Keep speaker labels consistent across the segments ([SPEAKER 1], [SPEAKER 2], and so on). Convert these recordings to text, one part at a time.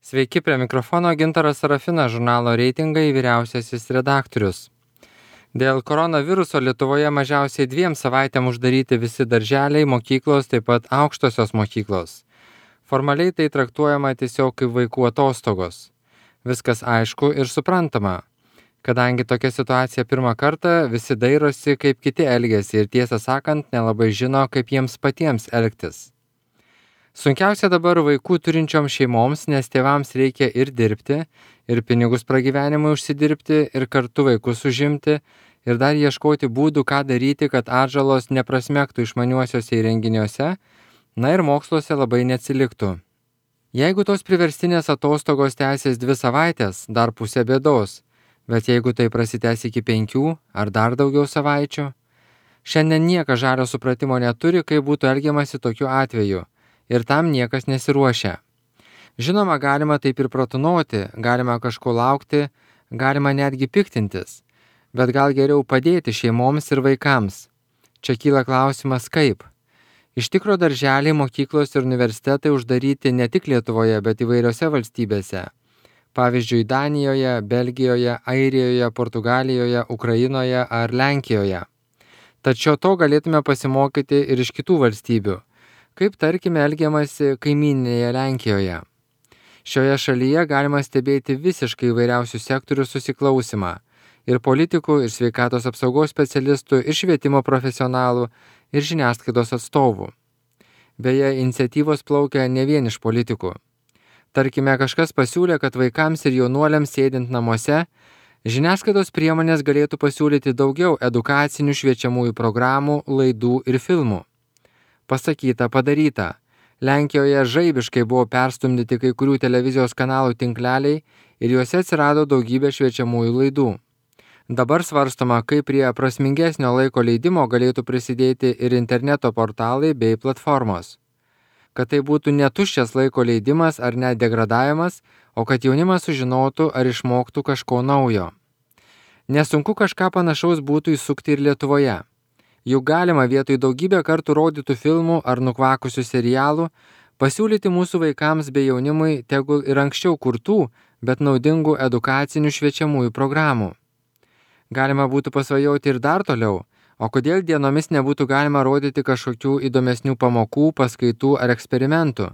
[SPEAKER 1] Sveiki, prie mikrofono Gintaras Sarafinas, žurnalo Reitingai vyriausiasis redaktorius. Dėl koronaviruso Lietuvoje mažiausiai 2 savaitėm uždaryti visi darželiai, mokyklos, taip pat aukštosios mokyklos. Formaliai tai traktuojama tiesiog kaip vaikų atostogos. Viskas aišku ir suprantama. Kadangi tokia situacija pirmą kartą, visi dairosi, kaip kiti elgiasi ir tiesą sakant, nelabai žino, kaip jiems patiems elgtis. Sunkiausia dabar vaikų turinčioms šeimoms, nes tėvams reikia ir dirbti, ir pinigus pragyvenimui užsidirbti, ir kartu vaikus užimti, ir dar ieškoti būdų, ką daryti, kad atžalos neprasmegtų išmaniuosiuose įrenginiuose, na ir moksluose labai neatsiliktų. Jeigu tos priverstinės atostogos tęsis 2 savaitės, dar pusė bėdos, bet jeigu tai prasitęs iki 5 ar dar daugiau savaičių, šiandien niekas žalio supratimo neturi, kaip būtų elgiamasi tokiu atveju. Ir tam niekas nesiruošia. Žinoma, galima taip ir pratunoti, galima kažko laukti, galima netgi piktintis, bet gal geriau padėti šeimoms ir vaikams. Čia kyla klausimas kaip. Iš tikro darželiai, mokyklos ir universitetai uždaryti ne tik Lietuvoje, bet įvairiose valstybėse. Pavyzdžiui, Danijoje, Belgijoje, Airijoje, Portugalijoje, Ukrainoje ar Lenkijoje. Tačiau to galėtume pasimokyti ir iš kitų valstybių. Kaip tarkime elgiamasi kaimyninėje Lenkijoje. Šioje šalyje galima stebėti visiškai įvairiausių sektorių susiklausimą ir politikų, ir sveikatos apsaugos specialistų, ir švietimo profesionalų, ir žiniasklaidos atstovų. Beje, iniciatyvos plaukia ne vien iš politikų. Tarkime, kažkas pasiūlė, kad vaikams ir jaunuoliams sėdint namuose, žiniasklaidos priemonės galėtų pasiūlyti daugiau edukacinių šviečiamųjų programų, laidų ir filmų. Pasakyta, padaryta. Lenkijoje žaibiškai buvo perstumdyti kai kurių televizijos kanalų tinkleliai ir juose atsirado daugybė šviečiamųjų laidų. Dabar svarstoma, kaip prie prasmingesnio laiko leidimo galėtų prisidėti ir interneto portalai bei platformos. Kad tai būtų ne tuščias laiko leidimas ar net degradavimas, o kad jaunimas sužinotų ar išmoktų kažko naujo. Nesunku kažką panašaus būtų įsukti ir Lietuvoje. Juk galima vietoj daugybę kartų rodytų filmų ar nukvakusių serialų pasiūlyti mūsų vaikams bei jaunimui tegul ir anksčiau kurtų, bet naudingų edukacinių šviečiamųjų programų. Galima būtų pasvajoti ir dar toliau, o kodėl dienomis nebūtų galima rodyti kažkokių įdomesnių pamokų, paskaitų ar eksperimentų.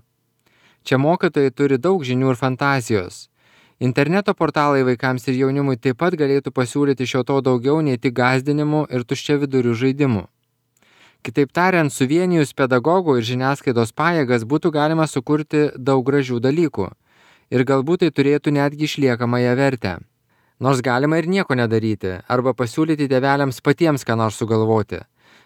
[SPEAKER 1] Čia mokytojai turi daug žinių ir fantazijos. Interneto portalai vaikams ir jaunimui taip pat galėtų pasiūlyti šio to daugiau nei tik gąsdinimų ir tuščiavidurių žaidimų. Kitaip tariant, suvienijus pedagogų ir žiniasklaidos pajėgas būtų galima sukurti daug gražių dalykų ir galbūt tai turėtų netgi išliekamąją vertę. Nors galima ir nieko nedaryti arba pasiūlyti tėveliams patiems ką nors sugalvoti.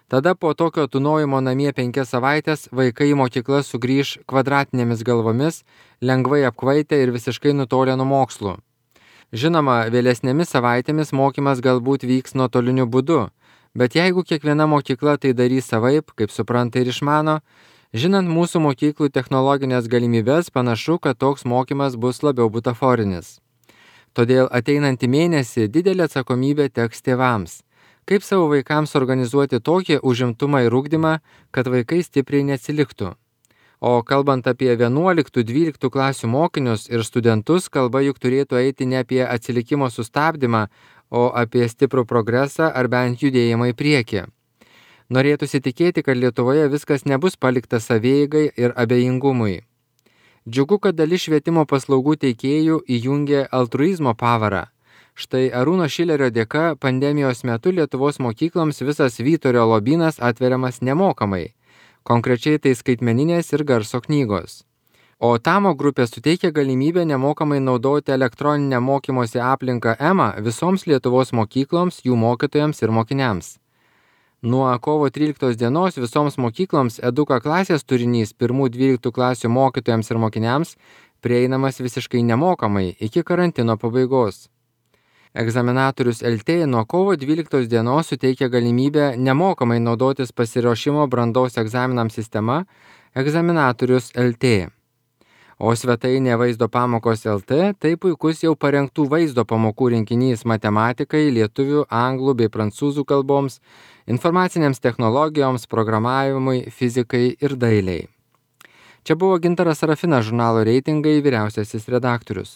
[SPEAKER 1] Tada po tokio tūnojimo namie 5 savaitės vaikai į mokyklas sugrįž kvadratinėmis galvomis, lengvai apkvaitę ir visiškai nutolę nuo mokslų. Žinoma, vėlesnėmis savaitėmis mokymas galbūt vyks nuotoliniu būdu, bet jeigu kiekviena mokykla tai darys savaip, kaip supranta ir išmano, žinant mūsų mokyklų technologinės galimybės, panašu, kad toks mokymas bus labiau butaforinis. Todėl ateinantį mėnesį didelė atsakomybė teks tėvams. Kaip savo vaikams organizuoti tokį užimtumą ir ugdymą, kad vaikai stipriai neatsiliktų. O kalbant apie 11-12 klasių mokinius ir studentus, kalba juk turėtų eiti ne apie atsilikimo sustabdymą, o apie stiprų progresą ar bent judėjimą į priekį. Norėtųsi tikėti, kad Lietuvoje viskas nebus palikta savieigai ir abejingumui. Džiugu, kad dalis švietimo paslaugų teikėjų įjungė altruizmo pavarą. Štai Arūno Šilerio dėka pandemijos metu Lietuvos mokykloms visas Vyturio lobynas atveriamas nemokamai. Konkrečiai tai skaitmeninės ir garso knygos. O Tamo grupė suteikia galimybę nemokamai naudoti elektroninę mokymosi aplinką EMA visoms Lietuvos mokykloms, jų mokytojams ir mokiniams. Nuo kovo 13 dienos visoms mokykloms Eduka klasės turinys 1-12 klasių mokytojams ir mokiniams prieinamas visiškai nemokamai iki karantino pabaigos. Egzaminatorius LT nuo kovo 12 dienos suteikia galimybę nemokamai naudotis pasiruošimo brandos egzaminams sistema Egzaminatorius LT. O svetainė Vaizdo pamokos LT tai puikus jau parengtų vaizdo pamokų rinkinys matematikai, lietuvių, anglų bei prancūzų kalboms, informacinėms technologijoms, programavimui, fizikai ir dailiai. Čia buvo Gintaras Sarafinas, žurnalo Reitingai vyriausiasis redaktorius.